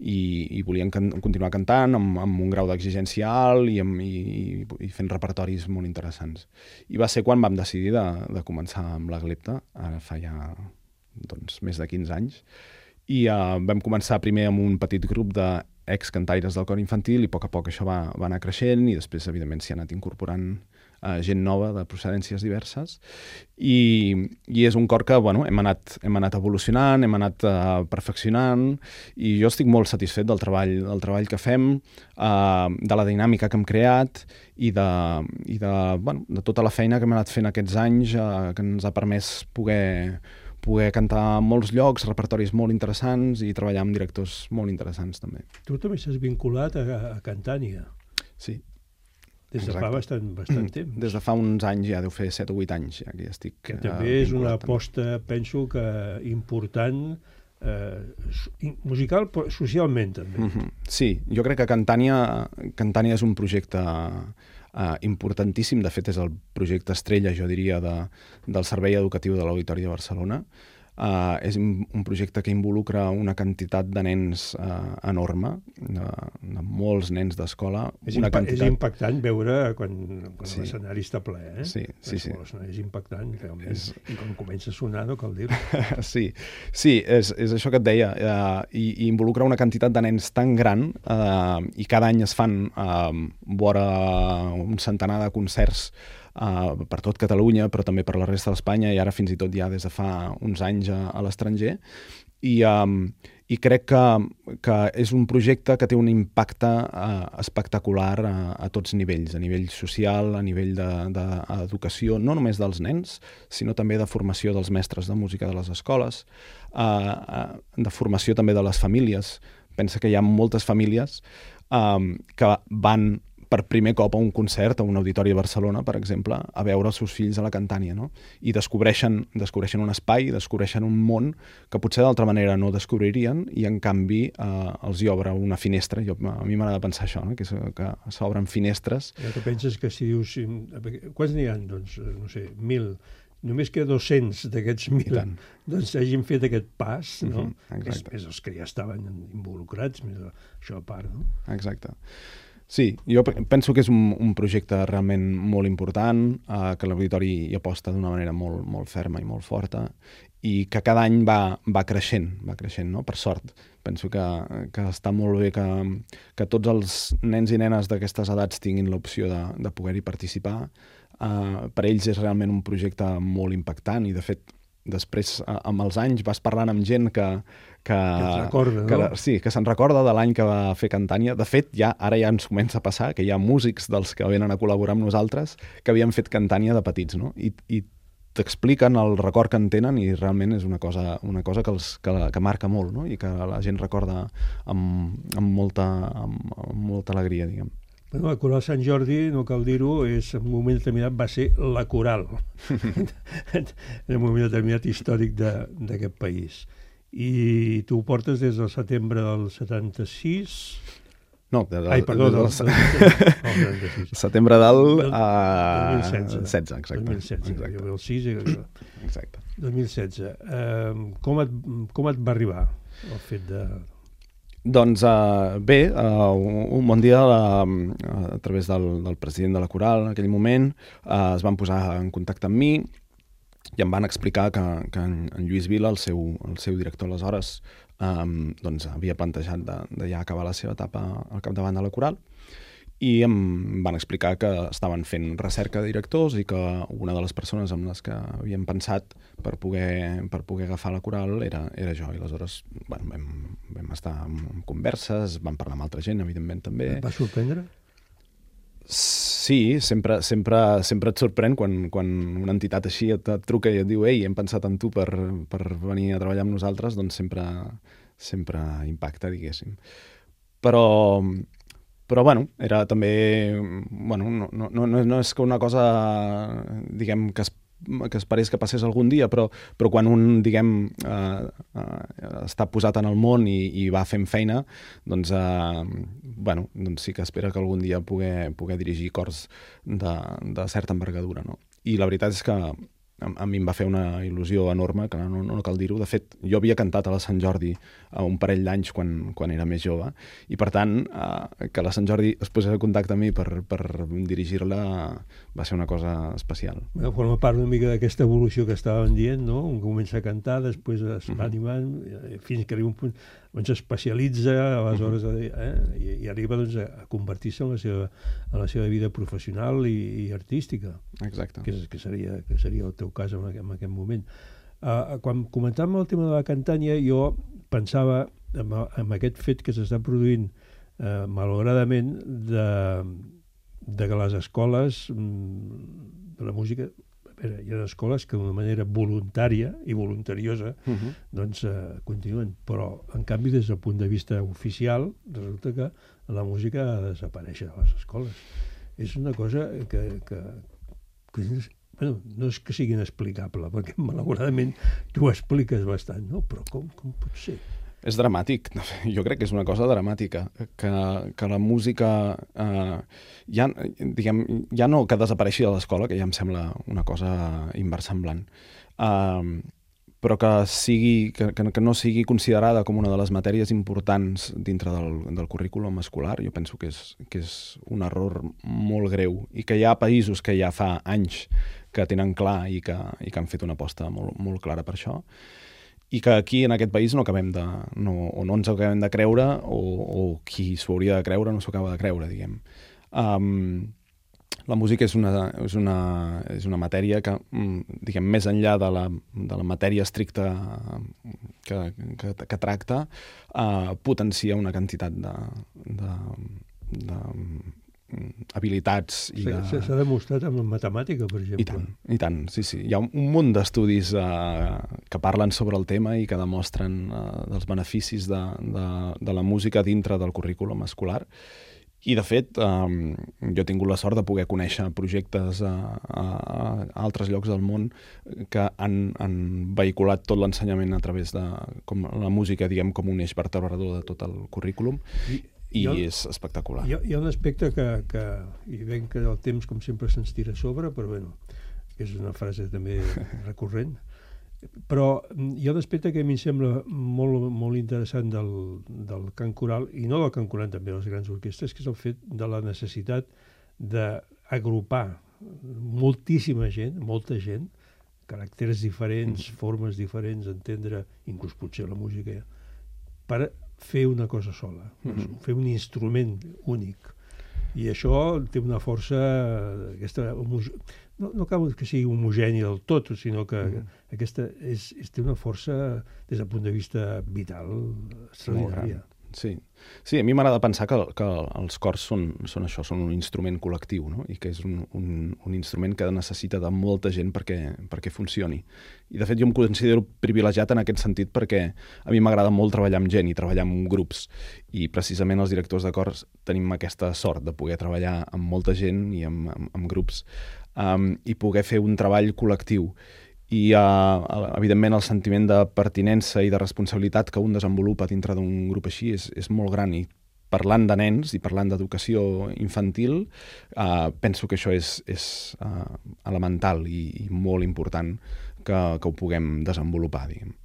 I volien continuar cantant amb un grau d'exigència alt i fent repertoris molt interessants. I va ser quan vam decidir de començar amb l'Aglepta, ara fa ja més de 15 anys, i vam començar primer amb un petit grup d'excantaires del cor infantil i a poc això va anar creixent i després, evidentment, s'hi ha anat incorporant gent nova de procedències diverses, i és un cor que hem anat evolucionant, hem anat perfeccionant, i jo estic molt satisfet del treball que fem, de la dinàmica que hem creat i de tota la feina que hem anat fent aquests anys, que ens ha permès poder cantar a molts llocs, repertoris molt interessants i treballar amb directors molt interessants també. Tu també s'has vinculat a Cantània. Sí. Des de fa bastant temps. Des de fa uns anys, ja deu fer 7 o 8 anys, ja que estic que també és una aposta, penso que important, musical, però socialment també. Sí, jo crec que Cantània és un projecte importantíssim. De fet, és el projecte estrella, jo diria, del Servei Educatiu de l'Auditori de Barcelona. És un projecte que involucra una quantitat de nens enorme, de molts nens d'escola. És impactant veure quan l'escenari està ple, eh? Sí. És impactant, realment. I quan comença a sonar, no cal dir-ho. Sí, és això que et deia. I involucra una quantitat de nens tan gran, i cada any es fan vora un centenar de concerts per tot Catalunya, però també per la resta d'Espanya, i ara fins i tot ja des de fa uns anys a l'estranger, i crec que és un projecte que té un impacte espectacular a tots nivells, a nivell social, a nivell d'educació, no només dels nens, sinó també de formació dels mestres de música de les escoles, de formació també de les famílies. Pensa que hi ha moltes famílies que van per primer cop a un concert, a un auditori a Barcelona, per exemple, a veure els seus fills a la Cantània, no? I descobreixen un espai, descobreixen un món que potser d'altra manera no descobririen, i en canvi els hi obre una finestra. A mi m'agrada pensar això, no? Que s'obren finestres. Ja que penses que si dius... Quants n'hi ha? Doncs, no sé, 1.000. Només que 200 d'aquests 1.000 doncs hagin fet aquest pas, no? Més els que ja estaven involucrats, més això a part, no? Exacte. Sí, jo penso que és un projecte realment molt important, que l'Auditori hi aposta d'una manera molt, molt ferma i molt forta, i que cada any va creixent, no? Per sort. Penso que està molt bé que tots els nens i nenes d'aquestes edats tinguin l'opció de poder-hi participar. Per ells és realment un projecte molt impactant, i de fet després, amb els anys, vas parlant amb gent que se'n recorda de l'any que va fer Cantània. De fet, ara ja ens comença a passar que hi ha músics dels que venen a col·laborar amb nosaltres que havien fet Cantània de petits, no? I t'expliquen el record que en tenen, i realment és una cosa que marca molt, no? I que la gent recorda amb molta alegria, diguem. Bueno, la Coral Sant Jordi, no cal dir-ho, en un moment determinat va ser la coral en un moment determinat històric d'aquest país. I tu ho portes des del setembre del 76... No, perdó, del setembre del 2016, exacte. 2016, jo ve el 6... Exacte. 2016. Com et va arribar el fet de... Doncs bé, un bon dia, a través del president de la Coral en aquell moment, es van posar en contacte amb mi i em van explicar que en Lluís Vila, el seu director aleshores, doncs havia plantejat de ja acabar la seva etapa al capdavant de la Coral, i em van explicar que estaven fent recerca de directors i que una de les persones amb les que havien pensat per poder agafar la Coral era jo. I aleshores vam estar en converses, vam parlar amb altra gent, evidentment, també. Et va sorprendre? Sí, sempre et sorprèn quan una entitat així et truca i et diu «Ei, hem pensat en tu per venir a treballar amb nosaltres», doncs sempre impacta, diguéssim. Però bueno, era també... No és que una cosa, diguem, que esperés que passés algun dia, però quan un, diguem, està posat en el món i va fent feina, doncs sí que espera que algun dia poder dirigir cors de certa envergadura, no? I la veritat és que a mi em va fer una il·lusió enorme, que no cal dir-ho. De fet, jo havia cantat a la Sant Jordi un parell d'anys quan era més jove, i per tant, que la Sant Jordi es posés en contacte amb mi per dirigir-la va ser una cosa especial. Forma part una mica d'aquesta evolució que estàvem dient, no? Un comença a cantar, després es va animant, fins que arriba un punt... doncs especialitza aleshores i arriba doncs, a convertir-se en la seva vida professional i artística. Exacte. Que seria el teu cas en aquest moment. Quan comentàvem el tema de la Cantània, jo pensava en aquest fet que s'està produint malauradament de que les escoles de la música, hi ha escoles que d'una manera voluntària i voluntariosa doncs continuen, però en canvi des del punt de vista oficial resulta que la música ha de desaparèixer de les escoles. És una cosa que bueno, no és que sigui inexplicable, perquè malauradament tu ho expliques bastant, no? Però com pot ser? És dramàtic, jo crec que és una cosa dramàtica, que la música ja no que desapareixi de l'escola, que ja em sembla una cosa inversemblant, però que no sigui considerada com una de les matèries importants dintre del currículum escolar. Jo penso que és un error molt greu i que hi ha països que ja fa anys que tenen clar i que han fet una aposta molt, molt clara per això, i que aquí, en aquest país, no ens acabem de creure, o qui s'ho hauria de creure no s'ho acaba de creure, diguem. La música és una matèria que, diguem, més enllà de la matèria estricta que tracta, potencia una quantitat habilitats. S'ha demostrat amb la matemàtica, per exemple. I tant, sí. Hi ha un munt d'estudis que parlen sobre el tema i que demostren els beneficis de la música dintre del currículum escolar. I, de fet, jo he tingut la sort de poder conèixer projectes a altres llocs del món que han vehiculat tot l'ensenyament a través de la música, diguem, com un eix vertebrador de tot el currículum. I és espectacular. Hi ha un aspecte que i veig que el temps, com sempre, se'ns tira a sobre, però bueno, és una frase també recurrent. Però hi ha un aspecte que a mi em sembla molt, molt interessant del cant coral, i no del cant coral, també de les grans orquestres, que és el fet de la necessitat d'agrupar moltíssima gent, molta gent, caràcters diferents, formes diferents, entendre, inclús potser la música, per fer una cosa sola, fer un instrument únic. I això té una força, no cal que sigui homogènia del tot, sinó que aquesta té una força des del punt de vista vital extraordinària. Sí, a mi m'agrada pensar que els cors són això, són un instrument col·lectiu, no? I que és un instrument que necessita de molta gent perquè funcioni. I, de fet, jo em considero privilegiat en aquest sentit perquè a mi m'agrada molt treballar amb gent i treballar amb grups. I, precisament, els directors de cors tenim aquesta sort de poder treballar amb molta gent i amb grups i poder fer un treball col·lectiu. I, evidentment, el sentiment de pertinença i de responsabilitat que un desenvolupa dintre d'un grup així és molt gran. I parlant de nens i parlant d'educació infantil, penso que això és elemental i molt important que ho puguem desenvolupar, diguem.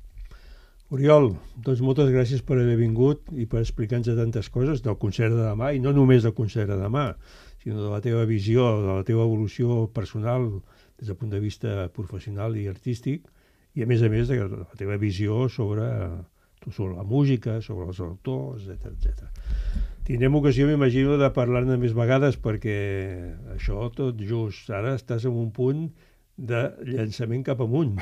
Oriol, doncs moltes gràcies per haver vingut i per explicar-nos tantes coses del concert de demà, i no només del concert de demà, sinó de la teva visió, de la teva evolució personal des del punt de vista professional i artístic, i a més de la teva visió sobre la música, sobre els autors, etc. Tindrem ocasió, m'imagino, de parlar-ne més vegades, perquè això tot just ara estàs en un punt de llançament cap amunt.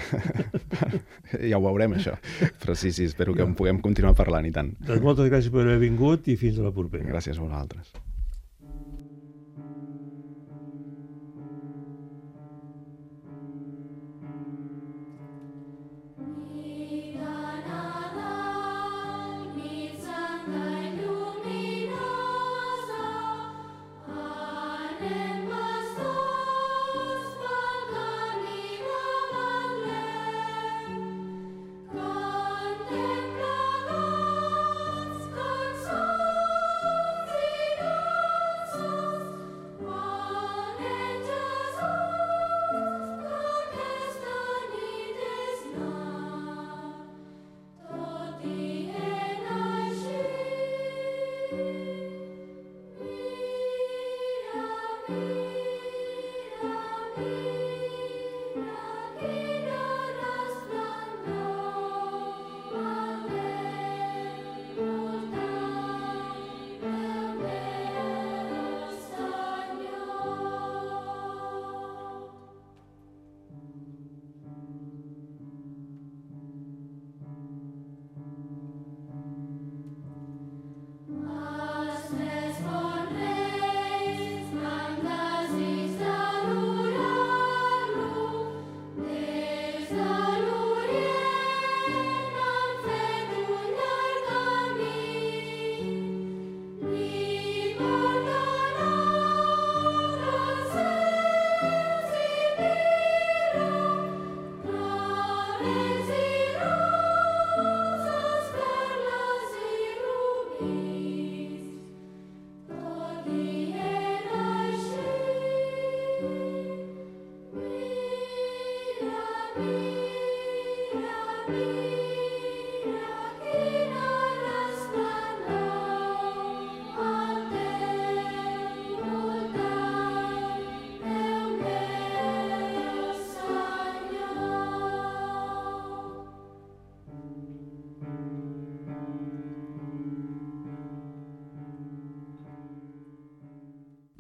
Ja ho veurem, això. Però sí, espero que en puguem continuar parlant, i tant. Doncs moltes gràcies per haver vingut i fins a la propera. Gràcies a vosaltres.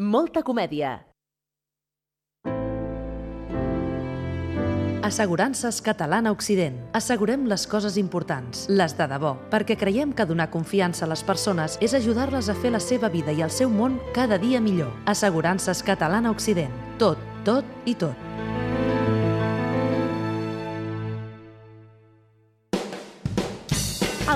Molta comèdia. Assegurances Catalana Occident. Assegurem les coses importants, les de debò, perquè creiem que donar confiança a les persones és ajudar-les a fer la seva vida i el seu món cada dia millor. Assegurances Catalana Occident. Tot, tot i tot.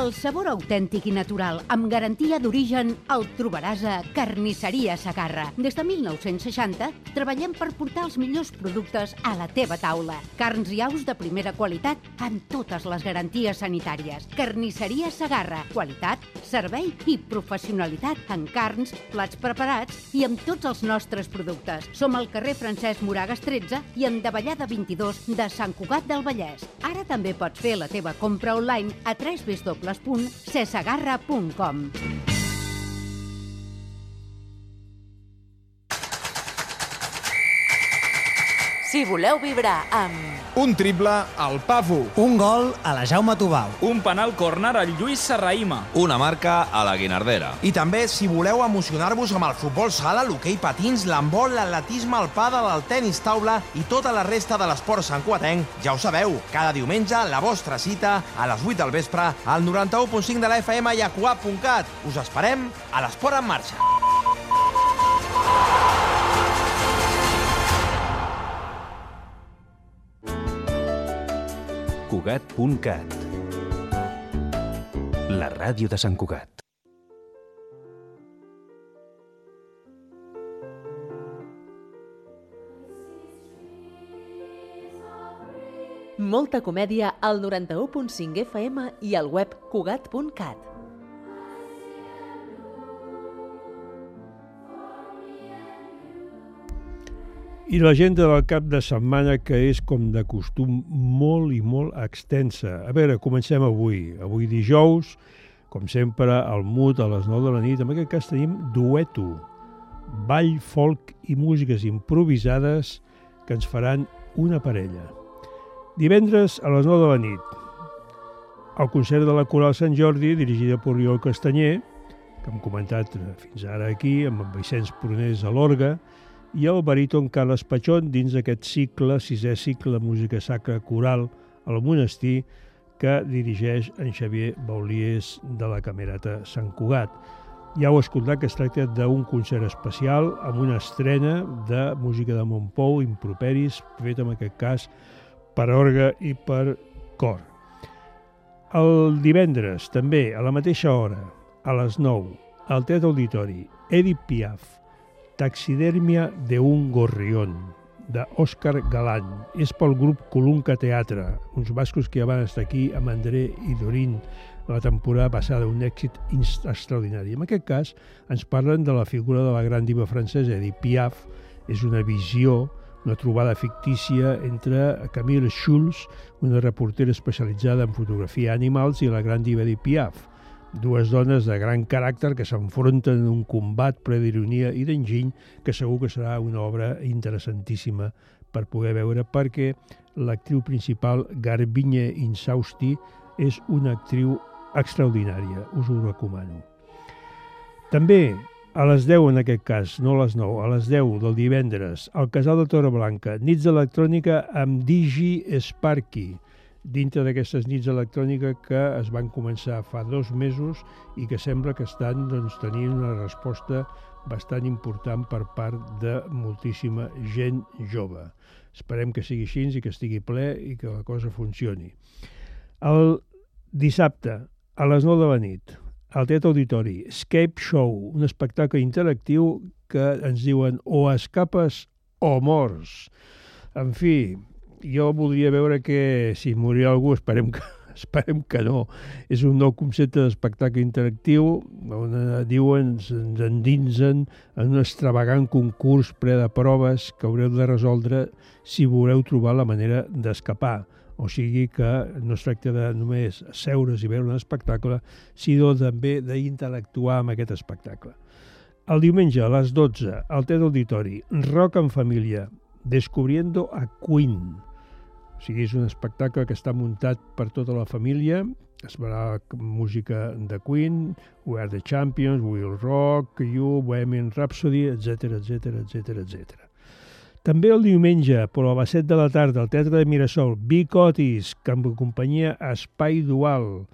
El sabor autèntic i natural, amb garantia d'origen, el trobaràs a Carnisseria Segarra. Des de 1960 treballem per portar els millors productes a la teva taula. Carns i aus de primera qualitat amb totes les garanties sanitàries. Carnisseria Segarra. Qualitat, servei i professionalitat en carns, plats preparats i amb tots els nostres productes. Som al carrer Francesc Moragas 13 i en Davallada 22 de Sant Cugat del Vallès. Ara també pots fer la teva compra online a www.cesegarra.com. Si voleu vibrar amb... Un triple al Pafu. Un gol a la Jaume Tubau. Un penal córner al Lluís Serrahima. Una marca a la Guinardera. I també, si voleu emocionar-vos amb el futbol sala, l'hoquei patins, l'handbol, l'atletisme, el pàdel, el tenis taula i tota la resta de l'esport santcugatenc, ja ho sabeu, cada diumenge la vostra cita a les 8 del vespre al 91.5 de la FM i a cugat.cat. Us esperem a l'Esport en Marxa. Cugat.cat. La ràdio de Sant Cugat. Molta comèdia al 91.5 FM i al web cugat.cat. I l'agenda del cap de setmana, que és, com de costum, molt i molt extensa. A veure, comencem avui. Avui dijous, com sempre, al MUT a les 9 de la nit. En aquest cas tenim dueto, ball, folk i músiques improvisades que ens faran una parella. Divendres a les 9 de la nit, el concert de la Coral Sant Jordi, dirigida per Oriol Castanyer, que hem comentat fins ara aquí, amb Vicenç Prunés a l'orgue, i el baríton Carles Pachón dins d'aquest cicle, sisè cicle de música sacra coral al monestir, que dirigeix en Xavier Baulies de la Camerata Sant Cugat. Ja heu escoltat que es tracta d'un concert especial amb una estrena de música de Montpou, improperis, fet en aquest cas per orgue i per cor. El divendres, també, a la mateixa hora, a les 9, al Teatre Auditori, Edith Piaf, Taxidermia de un gorrión, d'Òscar Galán. És pel grup Colunca Teatre, uns bascos que ja van estar aquí amb André i Dorín la temporada passada, un èxit extraordinari. En aquest cas ens parlen de la figura de la gran diva francesa Edith Piaf. És una visió, una trobada fictícia entre Camille Schulz, una reportera especialitzada en fotografia d'animals, i la gran diva Edith Piaf. Dues dones de gran caràcter que s'enfronten en un combat ple d'ironia i d'enginy, que segur que serà una obra interessantíssima per poder veure, perquè l'actriu principal, Garbiñe Insausti, és una actriu extraordinària, us ho recomano. També a les 10, en aquest cas, no a les 9, a les 10 del divendres, al Casal de Torreblanca, nits d'electrònica amb Digi Sparky, dintre d'aquestes nits d'electrònica que es van començar fa 2 mesos i que sembla que estan tenint una resposta bastant important per part de moltíssima gent jove. Esperem que sigui així i que estigui ple i que la cosa funcioni. El dissabte, a les 9 de la nit, al Teatre Auditori, Escape Show, un espectacle interactiu que ens diuen o escapes o mors. En fi, jo voldria veure que si morirà algú, esperem que no. És un nou concepte d'espectacle interactiu on diuen, ens endinsen en un extravagant concurs ple de proves que haureu de resoldre si voleu trobar la manera d'escapar. O sigui que no es tracta de només seure's i veure un espectacle, sinó també d'interactuar amb aquest espectacle. El diumenge a les 12, al Teatre Auditori, Rock en família, Descubriendo a Queen. O sigui, és un espectacle que està muntat per tota la família Es farà música de Queen, We Are the Champions, We'll Rock You, Bohemian Rhapsody, etc. També el diumenge, però a les 7 de la tarda, al Teatre de Mirasol, Vic Otis, que amb companyia Espai Dual,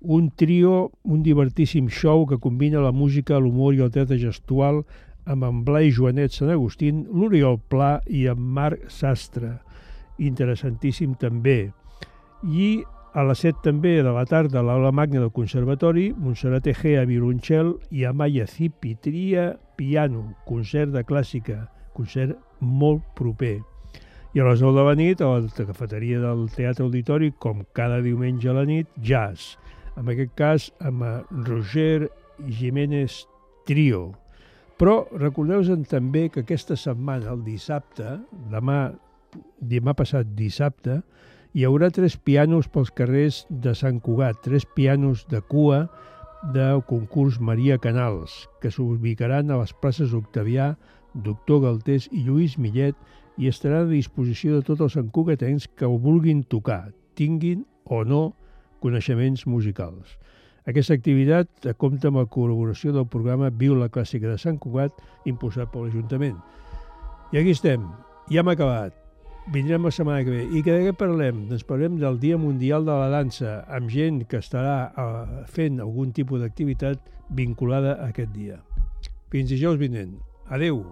un trio, un divertíssim show que combina la música, l'humor i el teatre gestual amb en Blai Joanet Sant Agustín, l'Oriol Pla i en Marc Sastre. Interessantíssim també. I a les 7 també de la tarda a l'Aula Magna del Conservatori, Montserrat Egea, violoncel, i Amaya Cipitria, piano, concert de clàssica, concert molt proper. I a les 9 de la nit, a la cafeteria del Teatre Auditori, com cada diumenge a la nit, jazz. En aquest cas, amb Roger Jiménez Trio. Però recordeu-vos també que aquesta setmana, el dissabte, demà passat dissabte, hi haurà 3 pianos pels carrers de Sant Cugat, 3 pianos de cua del concurs Maria Canals, que s'ubicaran a les places Octavià, Doctor Galtés i Lluís Millet i estaran a disposició de tots els santcugatencs que ho vulguin tocar, tinguin o no coneixements musicals. Aquesta activitat compta amb la col·laboració del programa Viu la Clàssica de Sant Cugat, impulsat per l'Ajuntament. I aquí estem, ja hem acabat. Vindrem la setmana que ve. I de què parlem? Doncs parlem del Dia Mundial de la Dansa, amb gent que estarà fent algun tipus d'activitat vinculada a aquest dia. Fins dijous vinent. Adéu!